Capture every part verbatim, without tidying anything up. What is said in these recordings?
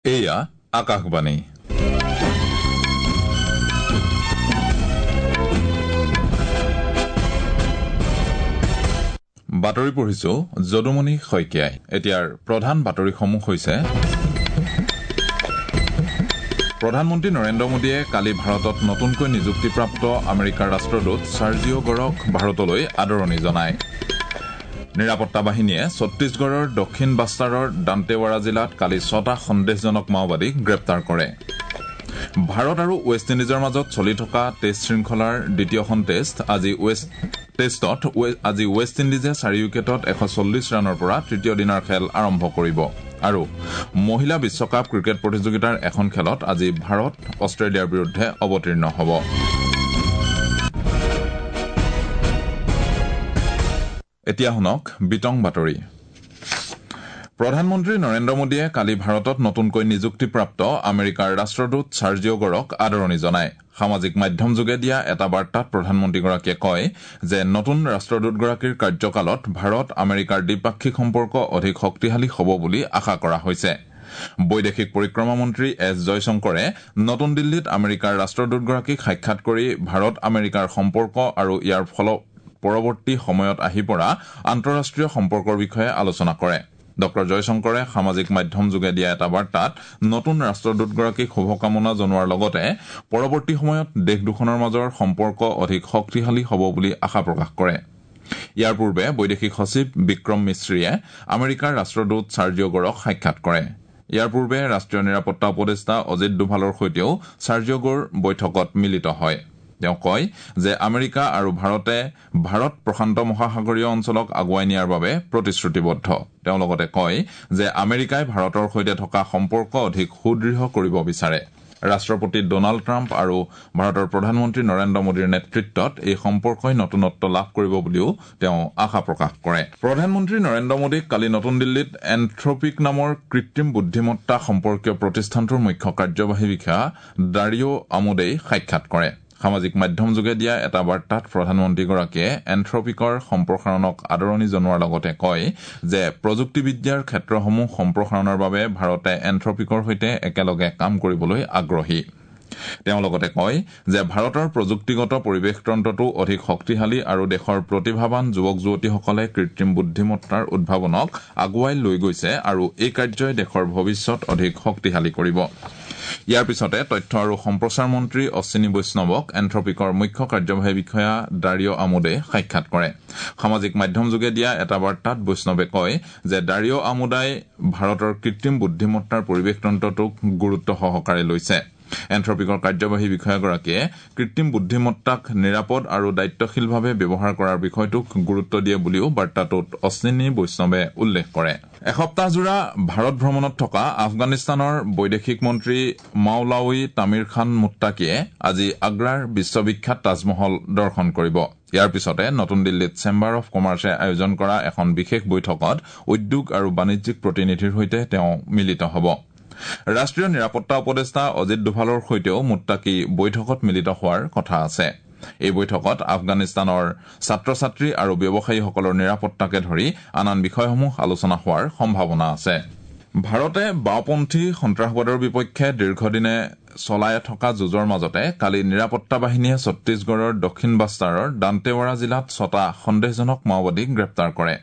এয়া আকাশবাণী। বাতৰি পঢ়িছো যদুমণি শইকীয়াই। এতিয়াৰ প্ৰধান বাতৰিসমূহ হৈছে: প্ৰধানমন্ত্ৰী নৰেন্দ্ৰ মোদীয়ে কালি ভাৰতত নতুনকৈ নিযুক্তিপ্ৰাপ্ত আমেৰিকাৰ ৰাষ্ট্ৰদূত চাৰ্জিঅ' গৰক ভাৰতলৈ আদৰণি জনায়। নিৰাপত্তা বাহিনীয়ে ছত্তীশগড়ৰ দক্ষিণ বাস্তাৰৰ দান্তেৱাৰা জিলাত কালি ছটা সন্দেহজনক মাওবাদীক গ্ৰেপ্তাৰ কৰে। ভাৰত আৰু ৱেষ্ট ইণ্ডিজৰ মাজত চলি থকা টেষ্ট শৃংখলাৰ দ্বিতীয়খন টেষ্ট আজি ৱেষ্ট টেষ্টত আজি ৱেষ্ট ইণ্ডিজে চাৰি উইকেটত এশ চল্লিছ ৰানৰ পৰা তৃতীয় দিনাৰ খেল আৰম্ভ কৰিব। আৰু মহিলা বিশ্বকাপ ক্ৰিকেট প্ৰতিযোগিতাৰ এখন খেলত আজি ভাৰত অষ্ট্ৰেলিয়াৰ বিৰুদ্ধে অৱতীৰ্ণ হ'ব। এতিয়া শুনক বিতং বাতৰি। প্ৰধানমন্ত্ৰী নৰেন্দ্ৰ মোদীয়ে কালি ভাৰতত নতুনকৈ নিযুক্তিপ্ৰাপ্ত আমেৰিকাৰ ৰাষ্ট্ৰদূত চাৰ্জিঅ' গৰক আদৰণি জনায়। সামাজিক মাধ্যমযোগে দিয়া এটা বাৰ্তাত প্ৰধানমন্ত্ৰীগৰাকীয়ে কয় যে নতুন ৰাষ্ট্ৰদূতগৰাকীৰ কাৰ্যকালত ভাৰত আমেৰিকাৰ দ্বিপাক্ষিক সম্পৰ্ক অধিক শক্তিশালী হ'ব বুলি আশা কৰা হৈছে। বৈদেশিক পৰিক্ৰমা মন্ত্ৰী এছ জয়শংকৰে নতুন দিল্লীত আমেৰিকাৰ ৰাষ্ট্ৰদূতগৰাকীক সাক্ষাৎ কৰি ভাৰত আমেৰিকাৰ সম্পৰ্ক আৰু ইয়াৰ ফল পৰৱৰ্তী সময়ত আহি পৰা আন্তঃৰাষ্ট্ৰীয় সম্পৰ্কৰ বিষয়ে আলোচনা কৰে। ডঃ জয়শংকৰে সামাজিক মাধ্যমযোগে দিয়া এটা বাৰ্তাত নতুন ৰাষ্ট্ৰদূতগৰাকীক শুভকামনা জনোৱাৰ লগতে পৰৱৰ্তী সময়ত দেশ দুখনৰ মাজৰ সম্পৰ্ক অধিক শক্তিশালী হ'ব বুলি আশা প্ৰকাশ কৰে। ইয়াৰ পূৰ্বে বৈদেশিক সচিব বিক্ৰম মিশ্ৰীয়ে আমেৰিকাৰ ৰাষ্ট্ৰদূত চাৰ্জিঅ' গৰক সাক্ষাৎ কৰে। ইয়াৰ পূৰ্বে ৰাষ্ট্ৰীয় নিৰাপত্তা উপদেষ্টা অজিত ডোভালৰ সৈতেও চাৰ্জিঅ' গৰ বৈঠকত মিলিত হয়। তেওঁ কয় যে আমেৰিকা আৰু ভাৰতে ভাৰত প্ৰশান্ত মহাসাগৰীয় অঞ্চলক আগুৱাই নিয়াৰ বাবে প্ৰতিশ্ৰুতিবদ্ধ। তেওঁ লগতে কয় যে আমেৰিকাই ভাৰতৰ সৈতে থকা সম্পৰ্ক অধিক সুদৃঢ় কৰিব বিচাৰে। ৰাষ্ট্ৰপতি ডনাল্ড ট্ৰাম্প আৰু ভাৰতৰ প্ৰধানমন্ত্ৰী নৰেন্দ্ৰ মোদীৰ নেতৃত্বত এই সম্পৰ্কই নতুনত্ব লাভ কৰিব বুলিও তেওঁ আশা প্ৰকাশ কৰে। প্ৰধানমন্ত্ৰী নৰেন্দ্ৰ মোদীক কালি নতুন দিল্লীত এন্থ্ৰপিক নামৰ কৃত্ৰিম বুদ্ধিমত্তা সম্পৰ্কীয় প্ৰতিষ্ঠানটোৰ মুখ্য কাৰ্যবাহী বিষয়া ডাৰিঅ' আমোদেই সাক্ষাৎ কৰে। সামাজিক মাধ্যমযোগে দিয়া এটা বাৰ্তাত প্ৰধানমন্ত্ৰীগৰাকীয়ে এন্থ্ৰপিকৰ সম্প্ৰসাৰণক আদৰণি জনোৱাৰ লগতে কয় যে প্ৰযুক্তিবিদ্যাৰ ক্ষেত্ৰসমূহ সম্প্ৰসাৰণৰ বাবে ভাৰতে এন্থ্ৰপিকৰ সৈতে একেলগে কাম কৰিবলৈ আগ্ৰহী। তেওঁ লগতে কয় যে ভাৰতৰ প্ৰযুক্তিগত পৰিৱেশতন্ত্ৰটো অধিক শক্তিশালী আৰু দেশৰ প্ৰতিভাৱান যুৱক যুৱতীসকলে কৃত্ৰিম বুদ্ধিমত্তাৰ উদ্ভাৱনক আগুৱাই লৈ গৈছে আৰু এই কাৰ্যই দেশৰ ভৱিষ্যত অধিক শক্তিশালী কৰিব। ইয়াৰ পিছতে তথ্য আৰু সম্প্ৰচাৰ মন্ত্ৰী অশ্বিনী বৈষ্ণৱক এন্থ্ৰপিকৰ মুখ্য কাৰ্যবাহী বিষয়া ডাৰিঅ' আমোদে সাক্ষাৎ কৰে। সামাজিক মাধ্যমযোগে দিয়া এটা বাৰ্তাত বৈষ্ণৱে কয় যে ডাৰিঅ' আমোদাই ভাৰতৰ কৃত্ৰিম বুদ্ধিমত্তাৰ পৰিৱেশতন্ত্ৰটোক গুৰুত্ব সহকাৰে লৈছে। এন্থ্ৰপিকৰ কাৰ্যবাহী বিষয়াগৰাকীয়ে কৃত্ৰিম বুদ্ধিমত্তাক নিৰাপদ আৰু দায়িত্বশীলভাৱে ব্যৱহাৰ কৰাৰ বিষয়টোক গুৰুত্ব দিয়ে বুলিও বাৰ্তাটোত অশ্বিনী বৈষ্ণৱে উল্লেখ কৰে। এসপ্তাহজোৰা ভাৰত ভ্ৰমণত থকা আফগানিস্তানৰ বৈদেশিক মন্ত্ৰী মাওলাৱী তামিৰ খান মুত্তাকিয়ে আজি আগ্ৰাৰ বিশ্ববিখ্যাত তাজমহল দৰ্শন কৰিব। ইয়াৰ পিছতে নতুন দিল্লীত চেম্বাৰ অৱ কমাৰ্চে আয়োজন কৰা এখন বিশেষ বৈঠকত উদ্যোগ আৰু বাণিজ্যিক প্ৰতিনিধিৰ সৈতে তেওঁ মিলিত হ'ব। ৰাষ্ট্ৰীয় নিৰাপত্তা উপদেষ্টা অজিত ডোভালৰ সৈতেও মুত্তাকি বৈঠকত মিলিত হোৱাৰ কথা আছে। এই বৈঠকত আফগানিস্তানৰ ছাত্ৰ ছাত্ৰী আৰু ব্যৱসায়ীসকলৰ নিৰাপত্তাকে ধৰি আন আন বিষয়সমূহ আলোচনা হোৱাৰ সম্ভাৱনা আছে। ভাৰতে বাওঁপন্থী সন্ত্ৰাসবাদৰ বিপক্ষে দীৰ্ঘদিনে চলাই থকা যুঁজৰ মাজতে কালি নিৰাপত্তা বাহিনীয়ে ছত্তীশগড়ৰ দক্ষিণ বাস্তাৰৰ দান্তেৱাৰা জিলাত ছটা সন্দেহজনক মাওবাদীক গ্ৰেপ্তাৰ কৰে।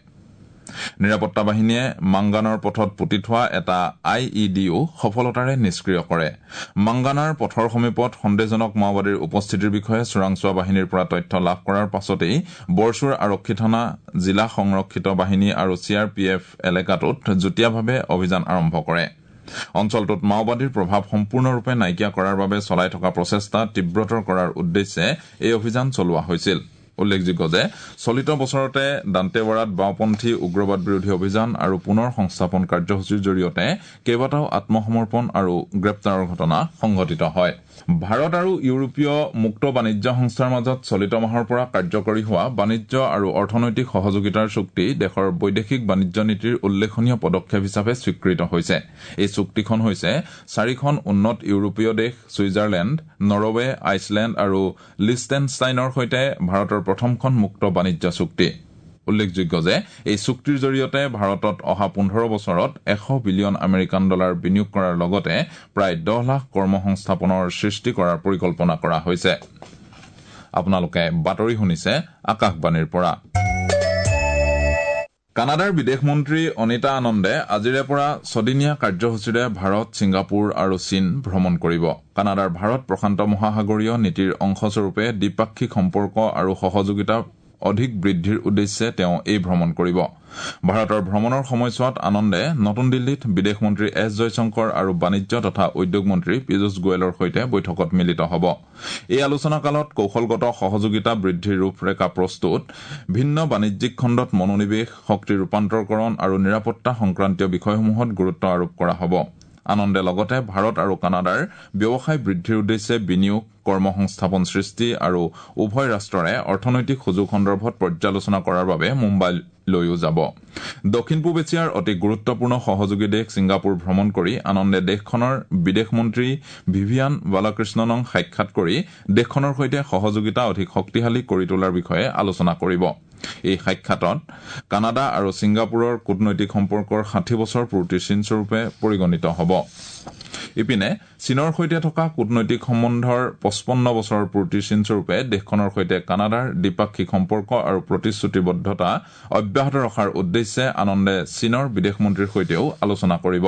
নিৰাপত্তা বাহিনীয়ে মাংগানৰ পথত পুতি থোৱা এটা I E ডিও সফলতাৰে নিষ্ক্ৰিয় কৰে। মাংগানাৰ পথৰ সমীপত সন্দেহজনক মাওবাদীৰ উপস্থিতিৰ বিষয়ে চোৰাংচোৱা বাহিনীৰ পৰা তথ্য লাভ কৰাৰ পাছতেই বৰচুৰ আৰক্ষী থানা, জিলা সংৰক্ষিত বাহিনী আৰু চি আৰ পি এফ এলেকাটোত যুটীয়াভাৱে অভিযান আৰম্ভ কৰে। অঞ্চলটোত মাওবাদীৰ প্ৰভাৱ সম্পূৰ্ণৰূপে নাইকিয়া কৰাৰ বাবে চলাই থকা প্ৰচেষ্টা তীব্ৰতৰ কৰাৰ উদ্দেশ্যে এই অভিযান চলোৱা হৈছিল। উল্লেখযোগ্য যে চলিত বছৰতে দান্তেৱাৰাত বাওঁপন্থী উগ্ৰবাদ বিৰোধী অভিযান আৰু পুনৰ সংস্থাপন কাৰ্যসূচীৰ জৰিয়তে কেইবাটাও আত্মসমৰ্পণ আৰু গ্ৰেপ্তাৰৰ ঘটনা সংঘটিত হয়। ভাৰত আৰু ইউৰোপীয় মুক্ত বাণিজ্য সংস্থাৰ মাজত চলিত মাহৰ পৰা কাৰ্যকৰী হোৱা বাণিজ্য আৰু অৰ্থনৈতিক সহযোগিতাৰ চুক্তি দেশৰ বৈদেশিক বাণিজ্য নীতিৰ উল্লেখনীয় পদক্ষেপ হিচাপে স্বীকৃত হৈছে। এই চুক্তিখন হৈছে চাৰিখন উন্নত ইউৰোপীয় দেশ ছুইজাৰলেণ্ড, নৰৱে, আইচলেণ্ড আৰু লিষ্টেনষ্টাইনৰ সৈতে ভাৰতৰ প্ৰথমখন মুক্ত বাণিজ্য চুক্তি। উল্লেখযোগ্য যে এই চুক্তিৰ জৰিয়তে ভাৰতত অহা পোন্ধৰ বছৰত এশ বিলিয়ন আমেৰিকান ডলাৰ বিনিয়োগ কৰাৰ লগতে প্ৰায় দহ লাখ কৰ্মসংস্থাপনৰ সৃষ্টি কৰাৰ পৰিকল্পনা কৰা হৈছে। আপোনালোকে বাতৰি শুনিছে আকাশবাণীৰ পৰা। কানাডাৰ বিদেশ মন্ত্ৰী অনিতা আনন্দে আজিৰে পৰা ছদিনীয়া কাৰ্যসূচীৰে ভাৰত, ছিংগাপুৰ আৰু চীন ভ্ৰমণ কৰিব। কানাডাৰ ভাৰত প্ৰশান্ত মহাসাগৰীয় নীতিৰ অংশস্বৰূপে দ্বিপাক্ষিক সম্পৰ্ক আৰু সহযোগিতা অধিক বৃদ্ধিৰ উদ্দেশ্যে তেওঁ এই ভ্ৰমণ কৰিব। ভাৰতৰ ভ্ৰমণৰ সময়ছোৱাত আনন্দে নতুন দিল্লীত বিদেশ মন্ত্ৰী এছ জয়শংকৰ আৰু বাণিজ্য তথা উদ্যোগ মন্ত্ৰী পীয়ুষ গোৱেলৰ সৈতে বৈঠকত মিলিত হ'ব। এই আলোচনাকালত কৌশলগত সহযোগিতা বৃদ্ধিৰ ৰূপৰেখা প্ৰস্তুত, ভিন্ন বাণিজ্যিক খণ্ডত মনোনিৱেশ, শক্তি ৰূপান্তৰকৰণ আৰু নিৰাপত্তা সংক্ৰান্তীয় বিষয়সমূহত গুৰুত্ব আৰোপ কৰা হ'ব। আনন্দে লগতে ভাৰত আৰু কানাডাৰ ব্যৱসায় বৃদ্ধিৰ উদ্দেশ্যে বিনিয়োগ, কৰ্মসংস্থাপন সৃষ্টি আৰু উভয় ৰাষ্ট্ৰৰে অৰ্থনৈতিক সুযোগ সন্দৰ্ভত পৰ্যালোচনা কৰাৰ বাবে মুম্বাইলৈও যাব। দক্ষিণ পূব এছিয়াৰ অতি গুৰুত্বপূৰ্ণ সহযোগী দেশ ছিংগাপুৰ ভ্ৰমণ কৰি আনন্দে দেশখনৰ বিদেশ মন্ত্ৰী ভিভিয়ান বালাকৃষ্ণনক সাক্ষাৎ কৰি দেশখনৰ সৈতে সহযোগিতা অধিক শক্তিশালী কৰি তোলাৰ বিষয়ে আলোচনা কৰিব। এই সাক্ষাতত কানাডা আৰু ছিংগাপুৰৰ কূটনৈতিক সম্পৰ্কৰ ষাঠি বছৰ পূৰ্তিৰ চিনস্বৰূপে পৰিগণিত হ'ব। ইপিনে চীনৰ সৈতে থকা কূটনৈতিক সম্বন্ধৰ পঁচপন্ন বছৰৰ পূৰ্তিৰ চিনস্বৰূপে দেশখনৰ সৈতে কানাডাৰ দ্বিপাক্ষিক সম্পৰ্ক আৰু প্ৰতিশ্ৰুতিবদ্ধতা অব্যাহত ৰখাৰ উদ্দেশ্যে আনন্দে চীনৰ বিদেশ মন্ত্ৰীৰ সৈতেও আলোচনা কৰিব।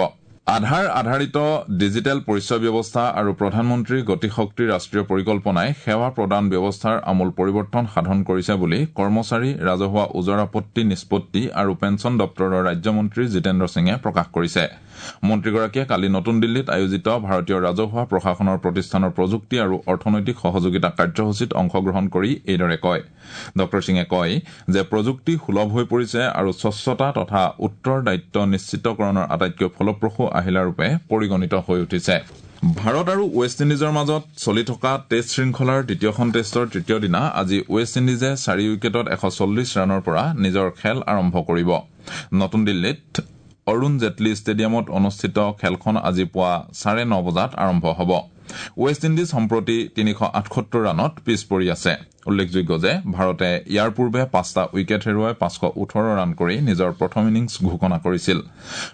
আধাৰ আধাৰিত ডিজিটেল পৰিচয় ব্যৱস্থা আৰু প্ৰধানমন্ত্ৰী গতিশক্তি ৰাষ্ট্ৰীয় পৰিকল্পনাই সেৱা প্ৰদান ব্যৱস্থাৰ আমূল পৰিৱৰ্তন সাধন কৰিছে বুলি কৰ্মচাৰী, ৰাজহুৱা ওজৰ আপত্তি নিষ্পত্তি আৰু পেঞ্চন দপ্তৰৰ ৰাজ্যমন্ত্ৰী জিতেন্দ্ৰ সিঙে প্ৰকাশ কৰিছে। মন্ত্ৰীগৰাকীয়ে কালি নতুন দিল্লীত আয়োজিত ভাৰতীয় ৰাজহুৱা প্ৰশাসনৰ প্ৰতিষ্ঠানৰ প্ৰযুক্তি আৰু অৰ্থনৈতিক সহযোগিতা কাৰ্যসূচীত অংশগ্ৰহণ কৰি এইদৰে কয়। ডঃ সিঙে কয় যে প্ৰযুক্তি সুলভ হৈ পৰিছে আৰু স্বচ্ছতা তথা উত্তৰদায়িত্ব নিশ্চিতকৰণৰ আটাইতকৈ ফলপ্ৰসূ আহিলাৰূপে পৰিগণিত হৈ উঠিছে। ভাৰত আৰু ৱেষ্ট ইণ্ডিজৰ মাজত চলি থকা টেষ্ট শৃংখলাৰ দ্বিতীয়খন টেষ্টৰ তৃতীয় দিনা আজি ৱেষ্ট ইণ্ডিজে চাৰি উইকেটত এশ চল্লিছ ৰানৰ পৰা নিজৰ খেল আৰম্ভ কৰিব। নতুন দিল্লীত অৰুণ জেটলী ষ্টেডিয়ামত অনুষ্ঠিত খেলখন আজি পুৱা চাৰে ন বজাত আৰম্ভ হ'ব। ৱেষ্ট ইণ্ডিজ সম্প্ৰতি তিনিশ আঠসত্তৰ ৰানত পিছ পৰি আছে। উল্লেখযোগ্য যে ভাৰতে ইয়াৰ পূৰ্বে পাঁচটা উইকেট হেৰুৱাই পাঁচশ ওঠৰ ৰান কৰি নিজৰ প্ৰথম ইনিংছ ঘোষণা কৰিছিল।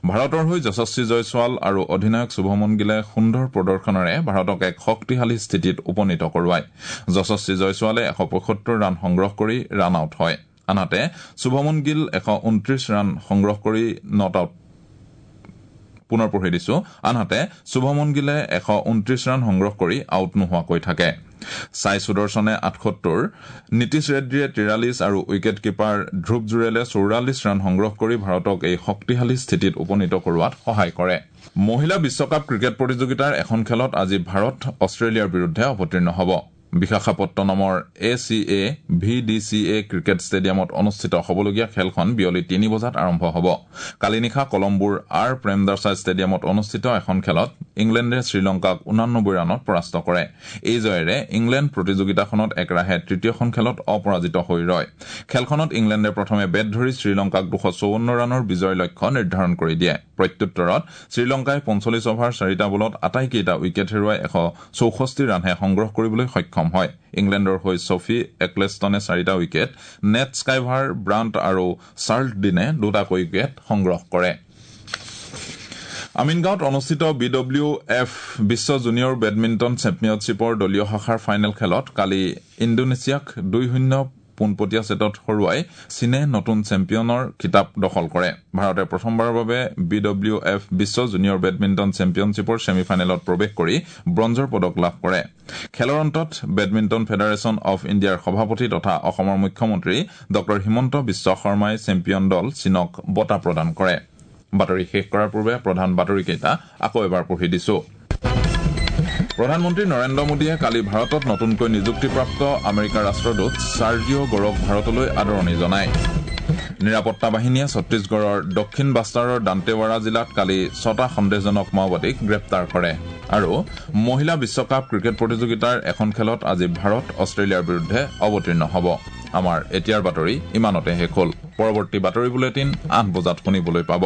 ভাৰতৰ হৈ যশস্বী জয়ছোৱাল আৰু অধিনায়ক শুভমন গিলে সুন্দৰ প্ৰদৰ্শনেৰে ভাৰতক এক শক্তিশালী স্থিতিত উপনীত কৰোৱায়। যশস্বী জয়ছোৱালে এশ পঁয়সত্তৰ ৰান সংগ্ৰহ কৰি ৰান আউট হয়। আনহাতে শুভমন গিল এশ ঊনত্ৰিশ ৰান সংগ্ৰহ কৰি not out পুনৰ পঢ়ি দিছো। আনহাতে শুভমন গিলে এশ ঊনত্ৰিশ ৰান সংগ্ৰহ কৰি আউট নোহোৱাকৈ থাকে। ছাই সুদৰ্শনে আঠসত্তৰ, নীতিশ ৰেড্ডীয়ে তিৰাল্লিছ আৰু উইকেট কিপাৰ ধ্ৰুৱ জুৰেলে চৌৰাল্লিছ ৰান সংগ্ৰহ কৰি ভাৰতক এই শক্তিশালী স্থিতিত উপনীত কৰোৱাত সহায় কৰে। মহিলা বিশ্বকাপ ক্ৰিকেট প্ৰতিযোগিতাৰ এখন খেলত আজি ভাৰত অষ্ট্ৰেলিয়াৰ বিৰুদ্ধে অৱতীৰ্ণ হ'ব। বিশাখাপট্টনমৰ A C A V D C A cricket ষ্টেডিয়ামত অনুষ্ঠিত হ'বলগীয়া খেলখন বিয়লি তিনি বজাত আৰম্ভ হ'ব। কালি নিশা কলম্বোৰ আৰ প্ৰেমদাসা ষ্টেডিয়ামত অনুষ্ঠিত এখন খেলত ইংলেণ্ডে শ্ৰীলংকাক ঊনানব্বৈ ৰানত পৰাস্ত কৰে। এই জয়েৰে ইংলেণ্ড প্ৰতিযোগিতাখনত একেৰাহে তৃতীয়খন খেলত অপৰাজিত হৈ ৰয়। খেলখনত ইংলেণ্ডে প্ৰথমে বেট ধৰি শ্ৰীলংকাক দুশ চৌৱন্ন ৰানৰ বিজয় লক্ষ্য নিৰ্ধাৰণ কৰি দিয়ে। প্ৰত্যুত্তৰত শ্ৰীলংকাই পঞ্চল্লিছ অভাৰ চাৰিটা বলত আটাইকেইটা উইকেট হেৰুৱাই এশ চৌষষ্ঠি ৰানহে সংগ্ৰহ কৰিবলৈ সক্ষম হয়। ইংলেণ্ডৰ হৈ ছফি একলেষ্টনে চাৰিটা উইকেট, নেট স্কাইভাৰ ব্ৰাণ্ট আৰু চাৰ্লট ডিনে দুটাকৈ উইকেট সংগ্ৰহ কৰে। আমিনগাঁৱত অনুষ্ঠিত বি ডব্লিউ এফ বিশ্ব জুনিয়ৰ বেডমিণ্টন চেম্পিয়নশ্বিপৰ দলীয় শাখাৰ ফাইনেল খেলত কালি ইণ্ডোনেছিয়াক দুই শূন্য পোনপটীয়া ছেটত হৰুৱাই চীনে নতুন চেম্পিয়নৰ খিতাপ দখল কৰে। ভাৰতে প্ৰথমবাৰৰ বাবে বি ডব্লিউ এফ বিশ্ব জুনিয়ৰ বেডমিণ্টন চেম্পিয়নশ্বিপৰ ছেমি ফাইনেলত প্ৰৱেশ কৰি ব্ৰঞ্জৰ পদক লাভ কৰে। খেলৰ অন্তত বেডমিণ্টন ফেডাৰেশ্যন অৱ ইণ্ডিয়াৰ সভাপতি তথা অসমৰ মুখ্যমন্ত্ৰী ডঃ হিমন্ত বিশ্ব শৰ্মাই চেম্পিয়ন দল চীনক বঁটা প্ৰদান কৰে। বাতৰি শেষ কৰাৰ পূৰ্বে প্ৰধান বাতৰিকেইটা আকৌ এবাৰ পঢ়ি দিছো। প্ৰধানমন্ত্ৰী নৰেন্দ্ৰ মোদীয়ে কালি ভাৰতত নতুনকৈ নিযুক্তিপ্ৰাপ্ত আমেৰিকাৰ ৰাষ্ট্ৰদূত চাৰ্জিঅ' গৰক ভাৰতলৈ আদৰণি জনায়। নিৰাপত্তা বাহিনীয়ে ছত্তীশগড়ৰ দক্ষিণ বাষ্টাৰৰ দান্তেৱাৰা জিলাত কালি ছটা সন্দেহজনক মাওবাদীক গ্ৰেপ্তাৰ কৰে। আৰু মহিলা বিশ্বকাপ ক্ৰিকেট প্ৰতিযোগিতাৰ এখন খেলত আজি ভাৰত অষ্ট্ৰেলিয়াৰ বিৰুদ্ধে অৱতীৰ্ণ হ'ব। আমাৰ এতিয়াৰ বাতৰি ইমানতে শেষ হ'ল। পৰৱৰ্তী বাতৰি বুলেটিন আঠ বজাত শুনিবলৈ পাব।